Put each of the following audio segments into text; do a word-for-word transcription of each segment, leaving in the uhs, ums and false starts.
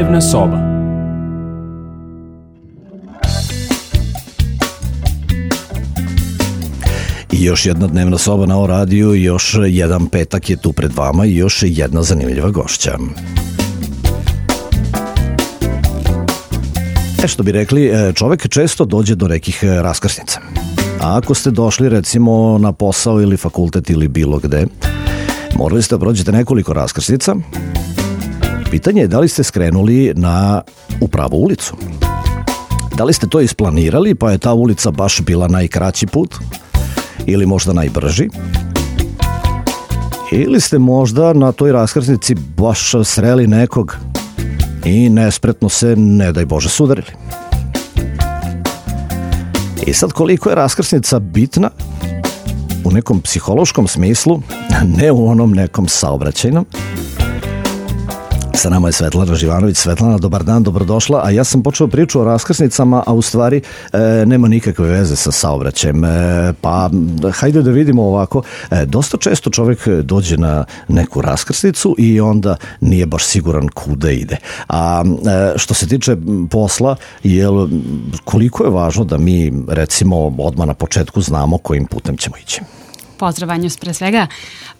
Dnevna soba. I još jedna dnevna soba na O radiju, još jedan petak je tu pred vama i još jedna zanimljiva gošća. E što bi rekli, čovek često dođe do nekih raskrsnica. A ako ste došli recimo na posao ili fakultet ili bilo gde, morali ste da prođete nekoliko raskrsnica. Pitanje je da li ste skrenuli na u pravu ulicu. Da li ste to isplanirali pa je ta ulica baš bila najkraći put ili možda najbrži? Ili ste možda na toj raskrsnici baš sreli nekog i nespretno se, ne daj Bože, sudarili. I sad koliko je raskrsnica bitna u nekom psihološkom smislu, ne u onom nekom saobraćajnom. Sa nama je Svetlana Živanović. Svetlana, dobar dan, dobrodošla. A ja sam počeo priču o raskrsnicama, a u stvari e, nema nikakve veze sa saobraćajem. E, pa hajde da vidimo ovako. E, dosta često čovjek dođe na neku raskrsnicu i onda nije baš siguran kuda ide. A e, što se tiče posla, jel, koliko je važno da mi recimo odmah na početku znamo kojim putem ćemo ići? Pozdrav, Vanjus, pre svega.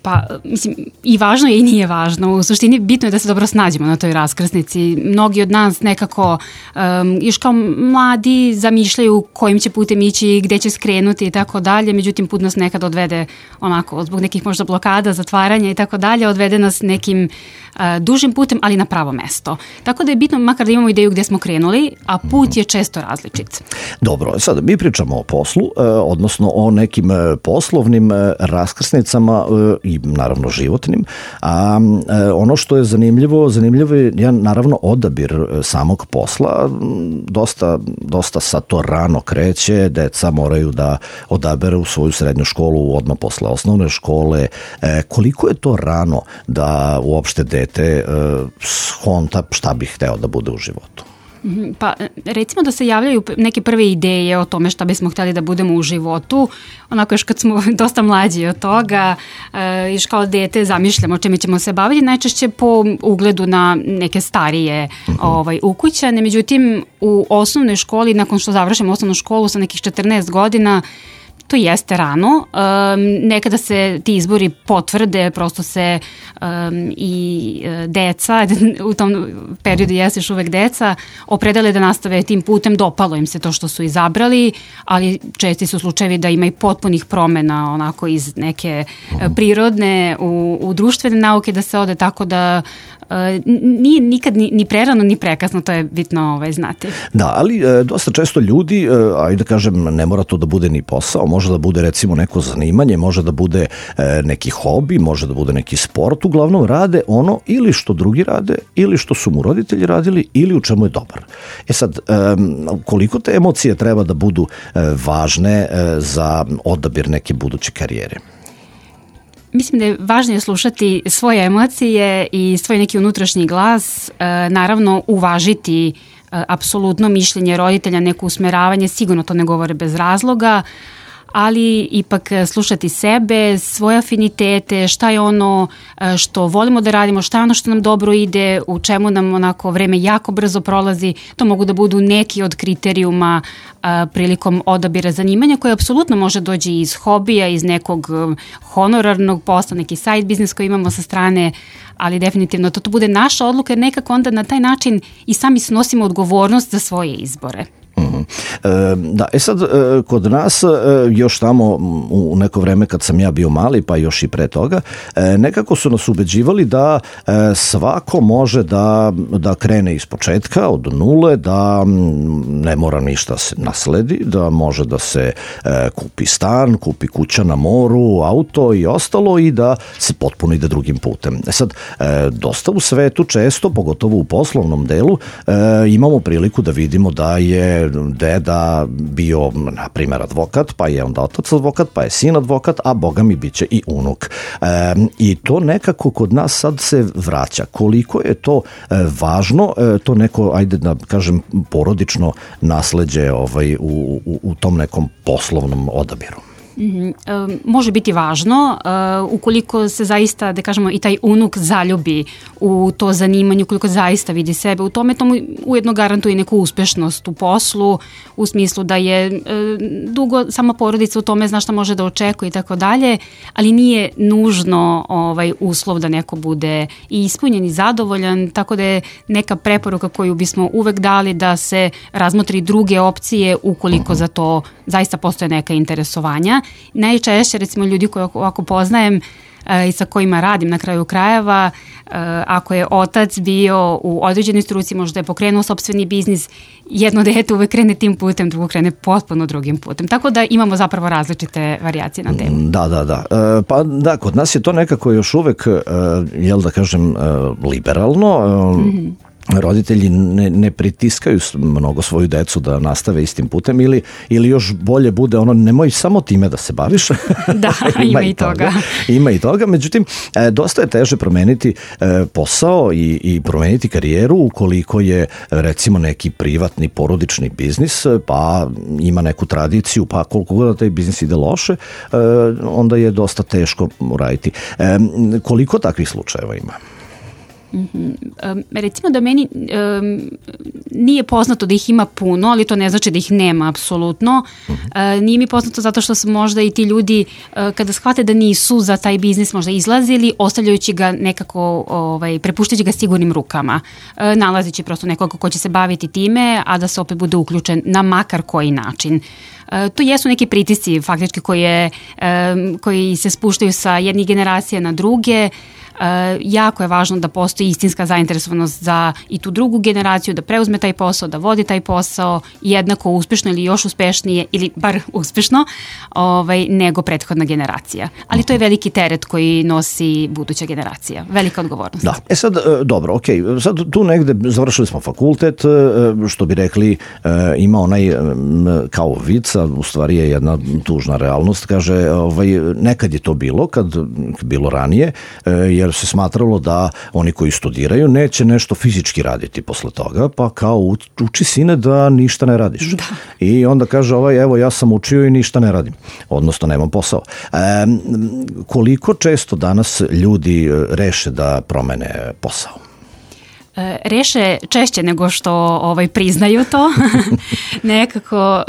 Pa, mislim, i važno je i nije važno. U suštini bitno je da se dobro snađemo na toj raskrsnici. Mnogi od nas nekako um, još kao mladi zamišljaju kojim će putem ići, gde će skrenuti i tako dalje. Međutim, put nas nekad odvede onako, zbog nekih možda blokada, zatvaranja i tako dalje, odvede nas nekim uh, dužim putem, ali na pravo mesto. Tako da je bitno makar da imamo ideju gde smo krenuli, a put je često različit. Dobro, sad mi pričamo o poslu, odnosno o nekim poslovnim raskrsnicama i naravno životnim, a ono što je zanimljivo, zanimljivo je ja, naravno odabir samog posla, dosta, dosta sa to rano kreće, deca moraju da odaberu svoju srednju školu odmah posle osnovne škole. Koliko je to rano da uopšte dete shonta šta bi hteo da bude u životu? Pa recimo da se javljaju neke prve ideje o tome šta bismo htjeli da budemo u životu, onako još kad smo dosta mlađi od toga, još kao dete zamišljamo o čemu ćemo se baviti, najčešće po ugledu na neke starije ovaj, ukućane. Međutim, u osnovnoj školi, nakon što završimo osnovnu školu sa nekih četrnaest godina, to jeste rano. Um, nekada se ti izbori potvrde, prosto se um, i deca, u tom periodu jeste još uvek deca, opredele da nastave tim putem, dopalo im se to što su izabrali, ali česti su slučajevi da ima i potpunih promena onako iz neke prirodne u, u društvene nauke, da se ode tako da Uh, nije nikad ni, ni prerano ni prekasno, to je bitno ovaj, znati. Da, ali e, dosta često ljudi, e, ajde da kažem, ne mora to da bude ni posao, može da bude recimo neko zanimanje, može da bude e, neki hobi, može da bude neki sport, uglavnom rade ono ili što drugi rade, ili što su mu roditelji radili, ili u čemu je dobar. E sad, e, koliko te emocije treba da budu e, važne e, za odabir neke buduće karijere? Mislim da je važnije slušati svoje emocije i svoj neki unutrašnji glas, naravno uvažiti apsolutno mišljenje roditelja, neko usmeravanje, sigurno to ne govore bez razloga, ali ipak slušati sebe, svoje afinitete, šta je ono što volimo da radimo, šta je ono što nam dobro ide, u čemu nam onako vreme jako brzo prolazi. To mogu da budu neki od kriterijuma a, prilikom odabira zanimanja koje apsolutno može doći iz hobija, iz nekog honorarnog posla, neki side biznis koji imamo sa strane, ali definitivno to, to bude naša odluka jer nekako onda na taj način i sami snosimo odgovornost za svoje izbore. Mm-hmm. E, da, e sad, e, kod nas e, još tamo u neko vreme kad sam ja bio mali, pa još i pre toga, e, nekako su nas ubeđivali da e, svako može da, da krene iz početka, od nule, da ne mora ništa se nasledi, da može da se e, kupi stan, kupi kuća na moru, auto i ostalo i da se potpuno ide drugim putem. E sad, e, dosta u svetu često, pogotovo u poslovnom delu, e, imamo priliku da vidimo da je deda bio, na primjer, advokat, pa je onda otac advokat, pa je sin advokat, a boga mi bit će i unuk. E, I to nekako kod nas sad se vraća. Koliko je to e, važno, e, to neko, ajde da kažem, porodično nasleđe ovaj, u, u, u tom nekom poslovnom odabiru? Mm-hmm. E, može biti važno e, ukoliko se zaista, da kažemo, i taj unuk zaljubi u to zanimanje, ukoliko zaista vidi sebe u tome, to mu ujedno garantuje neku uspešnost u poslu, u smislu da je e, dugo sama porodica u tome zna šta može da očekuje i tako dalje, ali nije nužno ovaj, uslov da neko bude i ispunjen i zadovoljan, tako da je neka preporuka koju bismo uvek dali da se razmotri druge opcije ukoliko za to zaista postoje neka interesovanja. Najčešće, recimo, ljudi koje ovako poznajem i sa kojima radim na kraju krajeva, ako je otac bio u određenoj struci, možda je pokrenuo sopstveni biznis, jedno dete uvek krene tim putem, drugo krene potpuno drugim putem. Tako da imamo zapravo različite varijacije na temu. Da, da, da. Pa da, kod nas je to nekako još uvek, jel da kažem, liberalno. Mm-hmm. Roditelji ne, ne pritiskaju mnogo svoju decu da nastave istim putem ili, ili još bolje bude ono, nemoj samo time da se baviš. Da, ima, ima i toga. toga. Ima i toga, međutim, e, dosta je teže promeniti e, posao i, i promeniti karijeru ukoliko je, recimo, neki privatni porodični biznis, pa ima neku tradiciju, pa koliko god da taj biznis ide loše, e, onda je dosta teško uraditi. E, koliko takvih slučajeva ima? Mm-hmm. Um, recimo da meni um, nije poznato da ih ima puno, ali to ne znači da ih nema apsolutno. Mm-hmm. Uh, nije mi poznato zato što su možda i ti ljudi uh, kada shvate da nisu za taj biznis možda izlazili, ostavljajući ga nekako, ovaj, prepuštajući ga sigurnim rukama, uh, nalazići prosto nekoga ko će se baviti time, a da se opet bude uključen na makar koji način. Uh, to jesu neki pritisci faktički koje, um, koji se spuštaju sa jednih generacija na druge. Uh, jako je važno da postoji istinska zainteresovanost za i tu drugu generaciju, da preuzme taj posao, da vodi taj posao jednako uspešno ili još uspešnije ili bar uspešno ovaj, nego prethodna generacija. Ali to je veliki teret koji nosi buduća generacija. Velika odgovornost. Da. E sad, dobro, ok, sad tu negde završili smo fakultet, što bi rekli, ima onaj kao vica, u stvari je jedna tužna realnost, kaže, ovaj, nekad je to bilo, kad bilo ranije, jer se smatralo da oni koji studiraju neće nešto fizički raditi posle toga, pa kao uči sine da ništa ne radiš. Da. I onda kaže ovaj, evo ja sam učio i ništa ne radim, odnosno nemam posao. E, koliko često danas ljudi reše da promene posao? Reše češće nego što ovaj, priznaju to. Nekako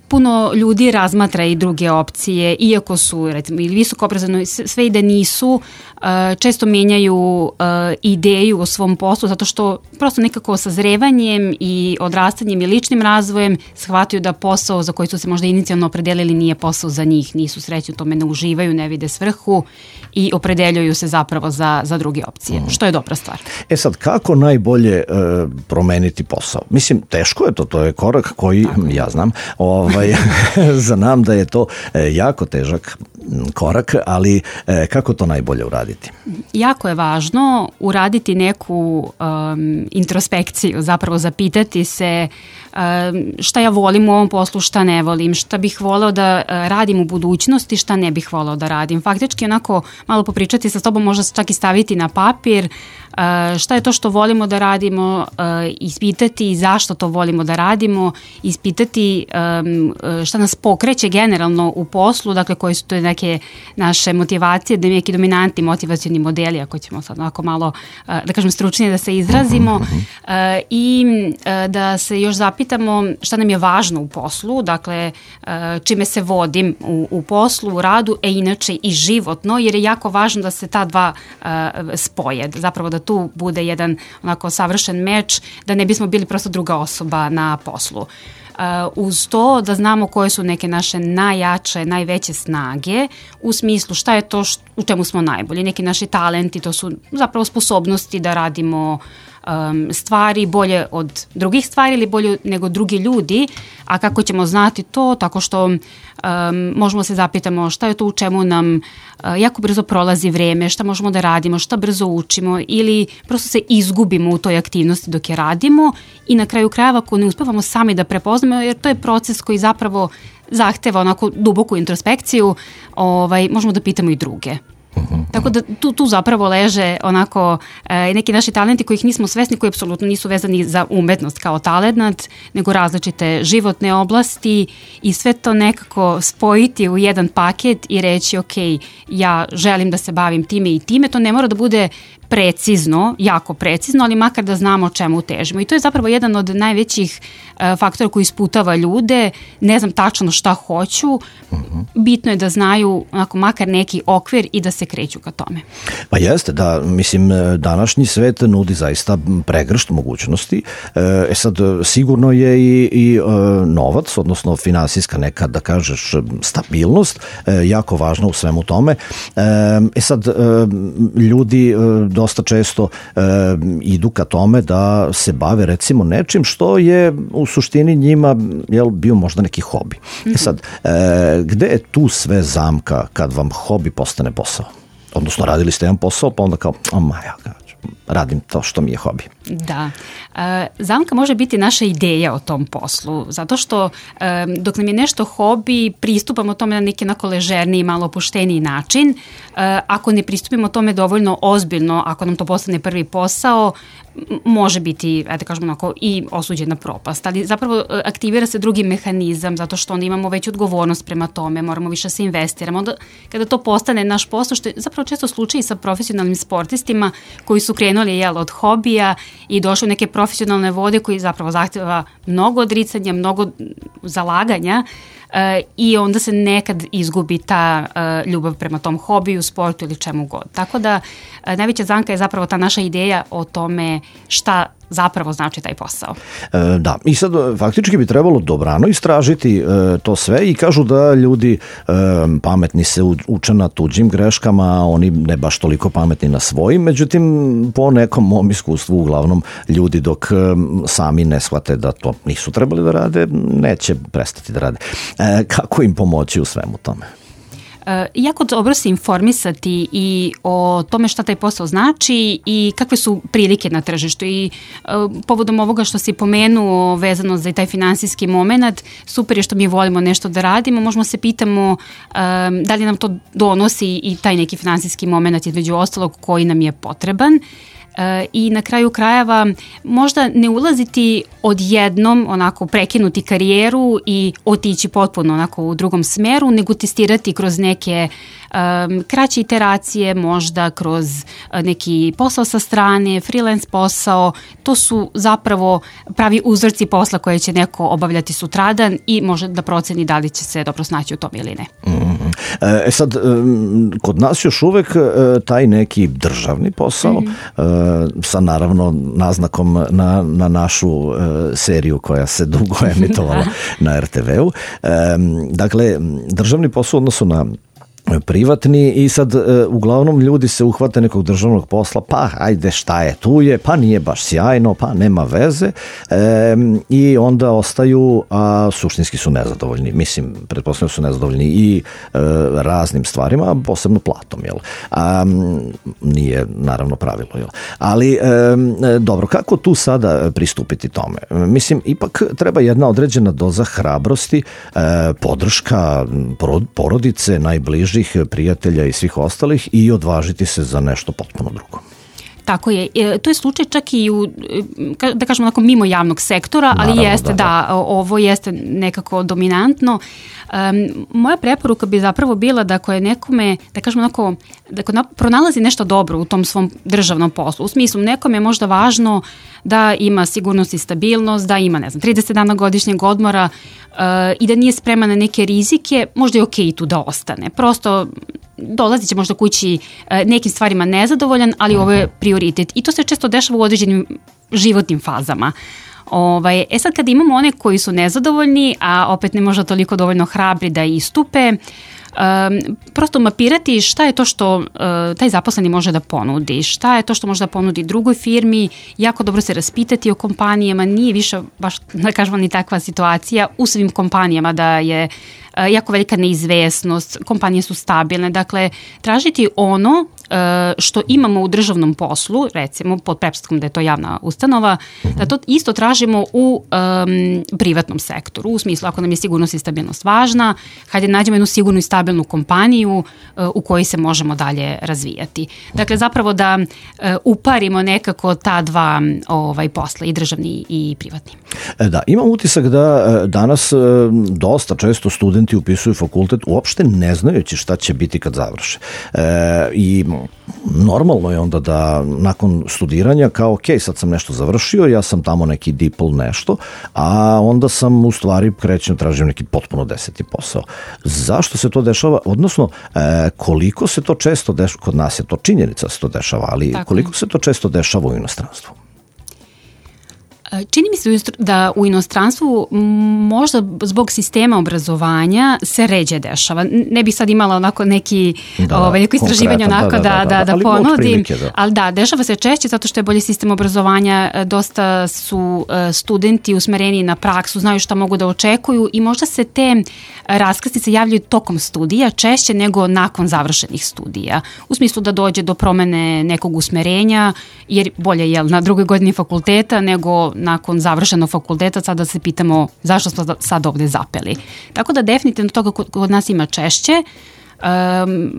puno ljudi razmatra i druge opcije, iako su recimo ili visoko obrazovani, sve i da nisu, često menjaju ideju o svom poslu zato što prosto nekako sazrevanjem i odrastanjem i ličnim razvojem shvataju da posao za koji su se možda inicijalno opredelili nije posao za njih, nisu srećni u tome, ne uživaju, ne vide svrhu i opredeljuju se zapravo za, za druge opcije, mm. što je dobra stvar. E sad, kako najbolje e, promeniti posao? Mislim, teško je to, to je korak koji, tako, ja znam, ovaj, znam da je to e, jako težak korak, ali e, kako to najbolje uraditi? Jako je važno uraditi neku um, introspekciju, zapravo zapitati se um, šta ja volim u ovom poslu, šta ne volim, šta bih voleo da uh, radim u budućnosti, šta ne bih voleo da radim. Faktički onako malo popričati sa tobom, možda čak i staviti na papir uh, šta je to što volimo da radimo, uh, ispitati zašto to volimo da radimo, ispitati um, šta nas pokreće generalno u poslu, dakle koji su to neke naše motivacije, da neki dominantni motivacioni modeli, ako ćemo sad onako malo, da kažem, stručnije da se izrazimo, i da se još zapitamo šta nam je važno u poslu, dakle čime se vodim u, u poslu, u radu, e inače i životno, jer je jako važno da se ta dva spoje, zapravo da tu bude jedan onako savršen meč, da ne bismo bili prosto druga osoba na poslu. Uh, uz to da znamo koje su neke naše najjače, najveće snage u smislu šta je to št, u čemu smo najbolji. Neki naši talenti, to su zapravo sposobnosti da radimo um, stvari bolje od drugih stvari ili bolje nego drugi ljudi, a kako ćemo znati to? Tako što um, možemo se zapitamo šta je to u čemu nam uh, jako brzo prolazi vreme, šta možemo da radimo, šta brzo učimo ili prosto se izgubimo u toj aktivnosti dok je radimo i na kraju krajeva ako ne uspevamo sami da prepoznamo, jer to je proces koji zapravo zahteva onako duboku introspekciju, ovaj, možemo da pitamo i druge. Uh-huh. Tako da tu, tu zapravo leže onako e, neki naši talenti kojih nismo svesni, koji apsolutno nisu vezani za umetnost kao talent, nego različite životne oblasti i sve to nekako spojiti u jedan paket i reći ok, ja želim da se bavim time i time. To ne mora da bude precizno, jako precizno, ali makar da znamo o čemu težimo. I to je zapravo jedan od najvećih uh, faktora koji isputava ljude. Ne znam tačno šta hoću. Uh-huh. Bitno je da znaju onako, makar neki okvir i da se kreću ka tome. Pa jeste, da, mislim, današnji svet nudi zaista pregršt mogućnosti. E sad, sigurno je i, i novac, odnosno finansijska neka, da kažeš, stabilnost, jako važna u svemu tome. E sad, ljudi dosta često e, idu ka tome da se bave recimo nečim što je u suštini njima jel, bio možda neki hobi. Mm-hmm. E sad, e, gde je tu sve zamka kad vam hobi postane posao? Odnosno, radili ste jedan posao, pa onda kao, o maja, radim to što mi je hobi. Da. E, zamka može biti naša ideja o tom poslu, zato što e, dok nam je nešto hobi, pristupamo tome na neki onako ležerniji, malo opušteniji način. E, ako ne pristupimo tome dovoljno ozbiljno, ako nam to postane prvi posao, može biti, ajde kažemo onako, i osuđena propast, ali zapravo aktivira se drugi mehanizam, zato što onda imamo veću odgovornost prema tome, moramo više se investiramo. Onda kada to postane naš posao, što je zapravo često slučaj sa profesionalnim sportistima koji su krenuli jel, od hobija i došli u neke profesionalne vode koji zapravo zahtjeva mnogo odricanja, mnogo zalaganja uh, i onda se nekad izgubi ta uh, ljubav prema tom hobiju, sportu ili čemu god. Tako da uh, najveća zamka je zapravo ta naša ideja o tome šta zapravo znači taj posao. E, da, i sad faktički bi trebalo dobrano istražiti e, to sve i kažu da ljudi e, pametni se uče na tuđim greškama, a oni ne baš toliko pametni na svojim, međutim po nekom mom iskustvu uglavnom ljudi dok e, sami ne shvate da to nisu trebali da rade, neće prestati da rade. E, kako im pomoći u svemu tome? Uh, jako dobro se informisati i o tome šta taj posao znači i kakve su prilike na tržištu i uh, povodom ovoga što si pomenuo vezano za taj finansijski moment, super je što mi volimo nešto da radimo, možemo se pitamo um, da li nam to donosi i taj neki finansijski moment između ostalog koji nam je potreban. Uh, i na kraju krajeva možda ne ulaziti odjednom, onako prekinuti karijeru i otići potpuno onako u drugom smeru, nego testirati kroz neke um, kraće iteracije, možda kroz uh, neki posao sa strane, freelance posao. To su zapravo pravi uzorci posla koje će neko obavljati sutradan i može da proceni da li će se dobro snaći u tom ili ne. Mm-hmm. E sad, kod nas još uvek taj neki državni posao, mm-hmm. sa naravno naznakom na, na našu e, seriju koja se dugo emitovala na er te veu. E, dakle, državni posao odnosu na privatni i sad e, uglavnom ljudi se uhvate nekog državnog posla, pa ajde šta je, tu je, pa nije baš sjajno, pa nema veze e, i onda ostaju, a suštinski su nezadovoljni, mislim, pretpostavljam su nezadovoljni i e, raznim stvarima, posebno platom, jel? A, nije naravno pravilo, jel? Ali e, dobro, kako tu sada pristupiti tome? Mislim, ipak treba jedna određena doza hrabrosti, e, podrška porodice, najbliži prijatelja i svih ostalih i odvažiti se za nešto potpuno drugo. Tako je. E, to je slučaj čak i u, da kažemo onako mimo javnog sektora, ali naravno, jeste, da, da, ovo jeste nekako dominantno. Um, moja preporuka bi zapravo bila da ako je nekome, da kažemo onako, da ako pronalazi nešto dobro u tom svom državnom poslu, u smislu nekome je možda važno da ima sigurnost i stabilnost, da ima, ne znam, trideset dana godišnjeg odmora uh, i da nije spreman na neke rizike, možda je okej tu da ostane. Prosto dolazit će možda kući uh, nekim stvarima nezadovoljan, ali ovo je prioritet. I to se često dešava u određenim životnim fazama. Ovaj, e sad kad imamo one koji su nezadovoljni, a opet ne možda toliko dovoljno hrabri da istupe, um, prosto mapirati šta je to što uh, taj zaposleni može da ponudi, šta je to što može da ponudi drugoj firmi, jako dobro se raspitati o kompanijama, nije više baš, da kažemo, ni takva situacija u svim kompanijama da je uh, jako velika neizvesnost, kompanije su stabilne, dakle tražiti ono što imamo u državnom poslu, recimo pod pretpostavkom da je to javna ustanova, da to isto tražimo u um, privatnom sektoru, u smislu ako nam je sigurnost i stabilnost važna, hajde nađemo jednu sigurnu i stabilnu stabilnu kompaniju u kojoj se možemo dalje razvijati. Dakle, zapravo da uparimo nekako ta dva ovaj, posla, i državni i privatni. Da, imam utisak da danas dosta često studenti upisuju fakultet uopšte ne znajući šta će biti kad završe. E, I normalno je onda da nakon studiranja kao ok, sad sam nešto završio, ja sam tamo neki dipl nešto, a onda sam u stvari krećem, tražim neki potpuno deseti posao. Zašto se to dešava? Odnosno, e, koliko se to često dešava, kod nas je to činjenica se to dešava, ali tako, koliko se to često dešava u inostranstvu? Čini mi se da u inostranstvu možda zbog sistema obrazovanja se ređe dešava. Ne bih sad imala onako neki, da, ovaj, neko istraživanje onako da, da, da, da, da, da ali ponudim, prilike, da. Ali da, dešava se češće zato što je bolji sistem obrazovanja, dosta su studenti usmereni na praksu, znaju šta mogu da očekuju i možda se te raskrsnice javljaju tokom studija češće nego nakon završenih studija. U smislu da dođe do promene nekog usmerenja, jer bolje je na drugoj godini fakulteta nego nakon završenog fakulteta sad da se pitamo zašto smo sad ovde zapeli. Tako da definitivno toga kod nas ima češće, um,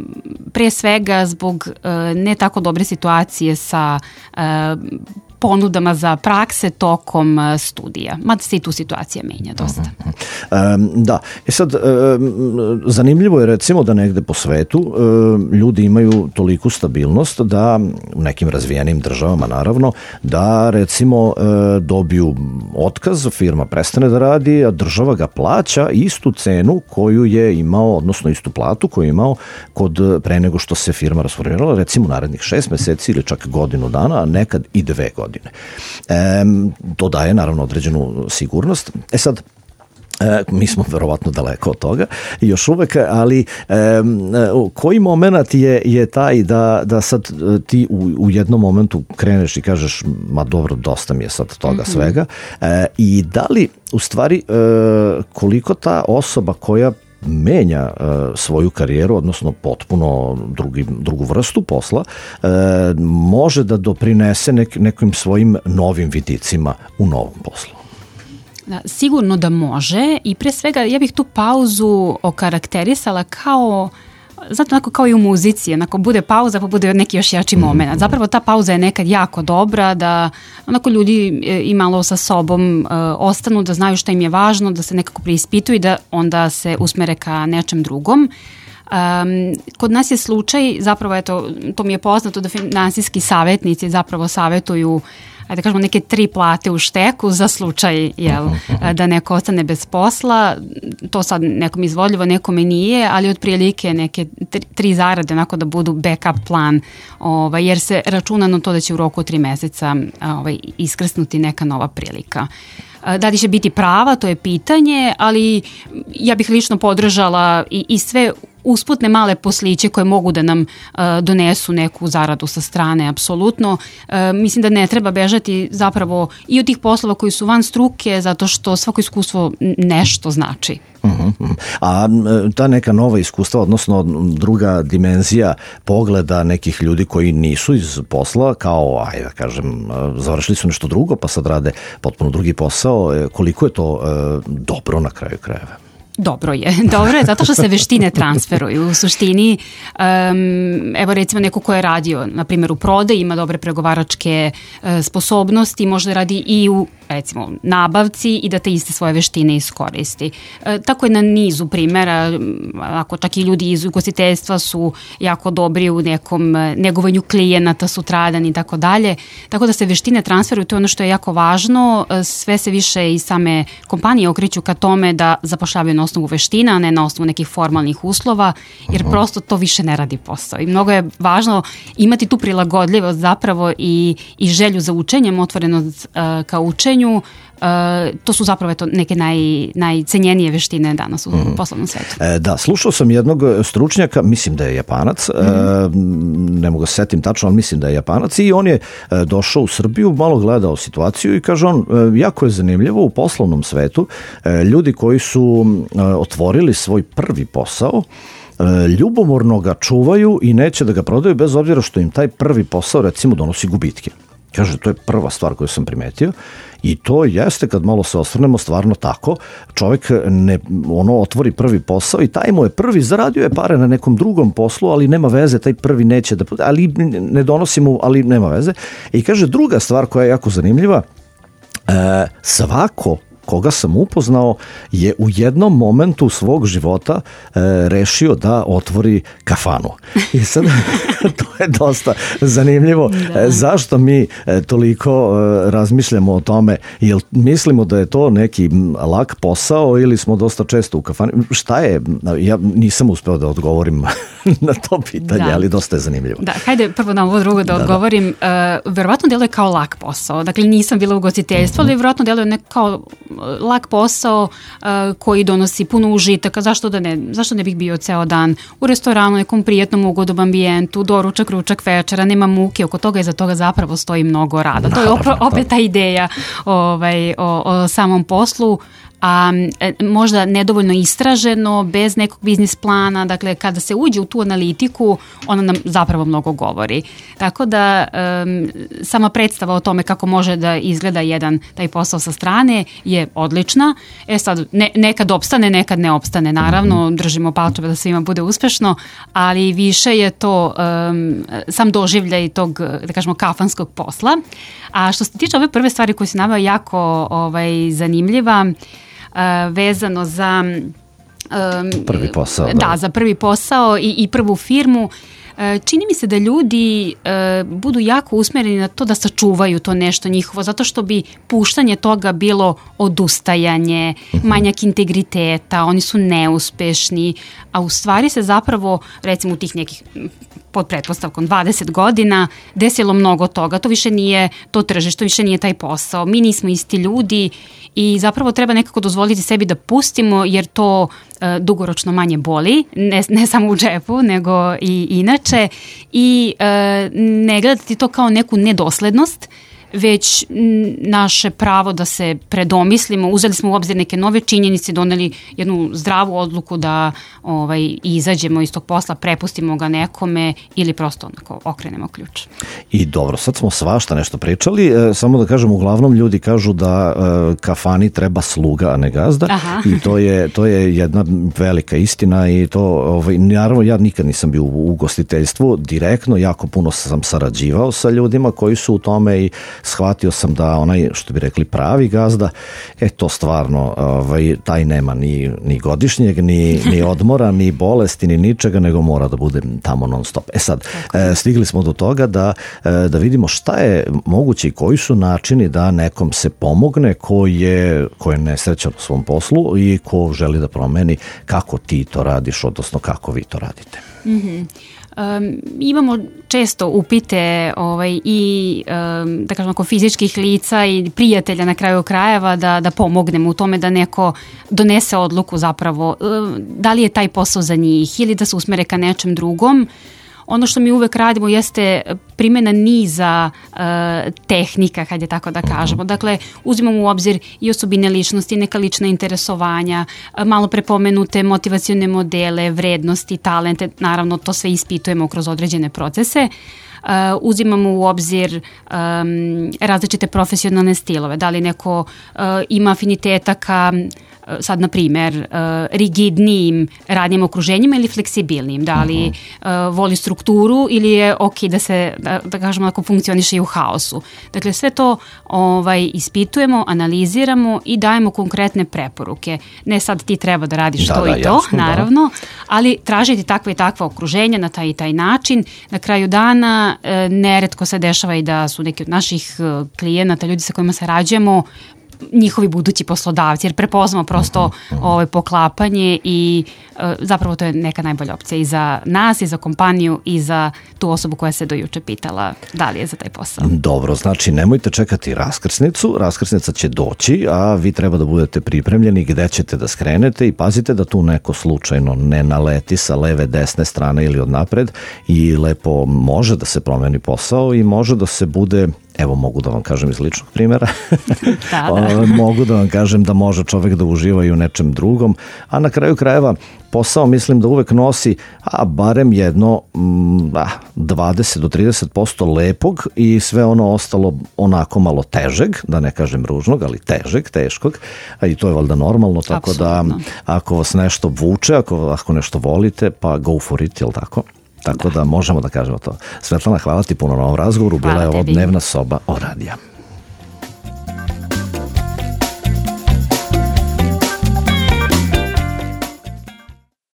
pre svega zbog uh, ne tako dobre situacije sa uh, ponudama za prakse tokom studija. Mada se i tu situacija menja dosta. Um, da, e sad, um, zanimljivo je recimo da negde po svetu um, ljudi imaju toliku stabilnost da u nekim razvijenim državama naravno, da recimo um, dobiju otkaz, firma prestane da radi, a država ga plaća istu cenu koju je imao, odnosno istu platu koju je imao kod pre nego što se firma rasformirala, recimo narednih šest meseci ili čak godinu dana, a nekad i dve godine. E, to daje naravno određenu sigurnost. E sad, E, mi smo verovatno daleko od toga još uvek, ali e, koji moment je, je taj da, da sad ti u, u jednom momentu kreneš i kažeš ma dobro, dosta mi je sad toga mm-hmm. svega e, i da li u stvari e, koliko ta osoba koja menja e, svoju karijeru, odnosno potpuno drugi, drugu vrstu posla, e, može da doprinese nek, nekim svojim novim vidicima u novom poslu? Da, sigurno da može i pre svega ja bih tu pauzu okarakterisala kao, znate, onako kao i u muzici, onako bude pauza pa bude neki još jači moment. Zapravo ta pauza je nekad jako dobra, da onako ljudi i malo sa sobom uh, ostanu, da znaju šta im je važno, da se nekako preispituju i da onda se usmere ka nečem drugom. Um, kod nas je slučaj, zapravo eto, to mi je poznato da finansijski savjetnici zapravo savjetuju ajde da kažemo neke tri plate u šteku za slučaj jel, da neko ostane bez posla. To sad nekom izvodljivo, nekome nije, ali otprilike neke tri, tri zarade onako da budu backup plan, ovaj, jer se računa na to da će u roku tri meseca ovaj, iskrsnuti neka nova prilika. Da li će biti prava, to je pitanje, ali ja bih lično podržala i, i sve usputne male posliće koje mogu da nam uh, donesu neku zaradu sa strane, apsolutno. Uh, mislim da ne treba bežati zapravo i od tih poslova koji su van struke, zato što svako iskustvo nešto znači. Uh-huh. A ta neka nova iskustva, odnosno druga dimenzija pogleda nekih ljudi koji nisu iz posla, kao, ajde da kažem, završili su nešto drugo, pa sad rade potpuno drugi posao, koliko je to uh, dobro na kraju krajeva? Dobro je, dobro je zato što se veštine transferuju. U suštini, um, evo recimo neko ko je radio, na primjer u prodaji, ima dobre pregovaračke uh, sposobnosti, može da radi i u recimo nabavci i da te iste svoje veštine iskoristi. E, tako je na nizu primjera, ako čak i ljudi iz ugostiteljstva su jako dobri u nekom negovanju klijenata sutradan i tako dalje. Tako da se veštine transferuju, to je ono što je jako važno. Sve se više i same kompanije okreću ka tome da zapošljavaju na osnovu veština, a ne na osnovu nekih formalnih uslova, jer uh-huh. prosto to više ne radi posao. I mnogo je važno imati tu prilagodljivost zapravo i, i želju za učenjem, otvorenost uh, ka učenju. Uh, to su zapravo eto, neke naj, najcenjenije veštine danas u mm. poslovnom svetu. E, da, slušao sam jednog stručnjaka, mislim da je Japanac, mm. e, ne mogu se setim tačno, ali mislim da je Japanac i on je e, došao u Srbiju, malo gledao situaciju i kaže on, e, jako je zanimljivo u poslovnom svetu, e, ljudi koji su e, otvorili svoj prvi posao, e, ljubomorno ga čuvaju i neće da ga prodaju bez obzira što im taj prvi posao recimo donosi gubitke. Kaže, to je prva stvar koju sam primetio i to jeste, kad malo se osvrnemo, stvarno tako. Čovjek ne, ono, otvori prvi posao i taj mu je prvi, zaradio je pare na nekom drugom poslu, ali nema veze, taj prvi neće da, ali ne donosi mu, ali nema veze. I kaže, druga stvar koja je jako zanimljiva, e, svako koga sam upoznao je u jednom momentu svog života e, rešio da otvori kafanu. I sad to je dosta zanimljivo. E, zašto mi e, toliko e, razmišljamo o tome? Jel mislimo da je to neki lak posao ili smo dosta često u kafani? Šta je? Ja nisam uspeo da odgovorim na to pitanje, da. Ali dosta je zanimljivo. Da, hajde prvo na ovo drugo da, da odgovorim. Da. Uh, verovatno deluje kao lak posao. Dakle, nisam bila u ugostiteljstvu, mm-hmm. ali verovatno deluje ne kao lak posao uh, koji donosi puno užitaka. Zašto da ne? Zašto ne bih bio ceo dan u restoranu, nekom prijetnom ugodnom ambijentu, doručak, ručak, večera, nema muke, oko toga i za toga zapravo stoji mnogo rada. To je opet, opet ta ideja ovaj, o, o samom poslu. A možda nedovoljno istraženo, bez nekog biznis plana, dakle kada se uđe u tu analitiku, ona nam zapravo mnogo govori. Tako da um, sama predstava o tome kako može da izgleda jedan taj posao sa strane je odlična. E sad, ne, nekad opstane, nekad ne opstane, naravno, držimo palčeve da svima bude uspešno, ali više je to um, sam doživljaj tog, da kažemo, kafanskog posla. A što se tiče ove prve stvari koje se naveo, jako ovaj, zanimljiva, Uh, vezano za um, prvi posao. Da, da, za prvi posao i, i prvu firmu. Uh, čini mi se da ljudi uh, budu jako usmereni na to da sačuvaju to nešto njihovo, zato što bi puštanje toga bilo odustajanje, uh-huh. manjak integriteta, oni su neuspešni, a u stvari se zapravo, recimo u tih nekih pod pretpostavkom dvadeset godina desilo mnogo toga. To više nije to tržište, to više nije taj posao. Mi nismo isti ljudi i zapravo treba nekako dozvoliti sebi da pustimo, jer to e, dugoročno manje boli, ne, ne samo u džepu, nego i inače. I e, ne gledati to kao neku nedoslednost, već naše pravo da se predomislimo, uzeli smo u obzir neke nove činjenice, doneli jednu zdravu odluku da ovaj, izađemo iz tog posla, prepustimo ga nekome ili prosto onako okrenemo ključ. I dobro, sad smo svašta nešto pričali, e, samo da kažem, uglavnom ljudi kažu da e, kafani treba sluga, a ne gazda. Aha. I to je, to je jedna velika istina i to, ovaj, naravno ja nikad nisam bio u ugostiteljstvu direktno, jako puno sam sarađivao sa ljudima koji su u tome i shvatio sam da onaj, što bi rekli, pravi gazda, e to stvarno, ovaj, taj nema ni, ni godišnjeg, ni, ni odmora, ni bolesti, ni ničega, nego mora da bude tamo non stop. E sad, e, stigli smo do toga da, e, da vidimo šta je moguće i koji su načini da nekom se pomogne ko je, ko je nesrećan u svom poslu i ko želi da promeni kako ti to radiš, odnosno kako vi to radite. Mhm. Um, imamo često upite ovaj, i um, da kažem ako fizičkih lica i prijatelja na kraju krajeva da, da pomognemo u tome da neko donese odluku zapravo um, da li je taj posao za njih ili da se usmere ka nečem drugom. Ono što mi uvek radimo jeste primjena niza uh, tehnika, kad je tako da kažemo. Dakle, uzimamo u obzir i osobine ličnosti, neka lična interesovanja, malo prepomenute motivacione modele, vrednosti, talente, naravno to sve ispitujemo kroz određene procese. Uh, uzimamo u obzir um, različite profesionalne stilove. Da li neko uh, ima afiniteta ka sad, na primjer, uh, rigidnijim radnim okruženjima ili fleksibilnim, da li uh, voli strukturu ili je ok da se, da, da kažemo, ako funkcioniše i u haosu. Dakle, sve to ovaj, ispitujemo, analiziramo i dajemo konkretne preporuke. Ne sad ti treba da radiš da, to da, i to, jasno, naravno, da. Ali tražiti takve i takva okruženja na taj i taj način. Na kraju dana uh, neretko se dešava i da su neki od naših uh, klijenata, ljudi sa kojima sarađujemo, njihovi budući poslodavci, jer prepoznamo prosto ovo poklapanje i e, zapravo to je neka najbolja opcija i za nas, i za kompaniju, i za tu osobu koja se do juče pitala da li je za taj posao. Dobro, znači nemojte čekati raskrsnicu, raskrsnica će doći, a vi treba da budete pripremljeni gde ćete da skrenete i pazite da tu neko slučajno ne naleti sa leve, desne strane ili od napred i lepo može da se promeni posao i može da se bude evo mogu da vam kažem iz ličnog primjera, da, da. mogu da vam kažem da može čovek da uživa i u nečem drugom, a na kraju krajeva posao mislim da uvek nosi, a barem jedno a, dvadeset do trideset posto lepog i sve ono ostalo onako malo težeg, da ne kažem ružnog, ali težeg, teškog, a i to je valjda normalno, tako Absolutno. Da ako vas nešto vuče, ako, ako nešto volite, pa go for it, jel tako? Tako da. da možemo da kažemo to. Svetlana, hvala ti puno na ovom razgovoru, bila je ovo Dnevna soba o radija.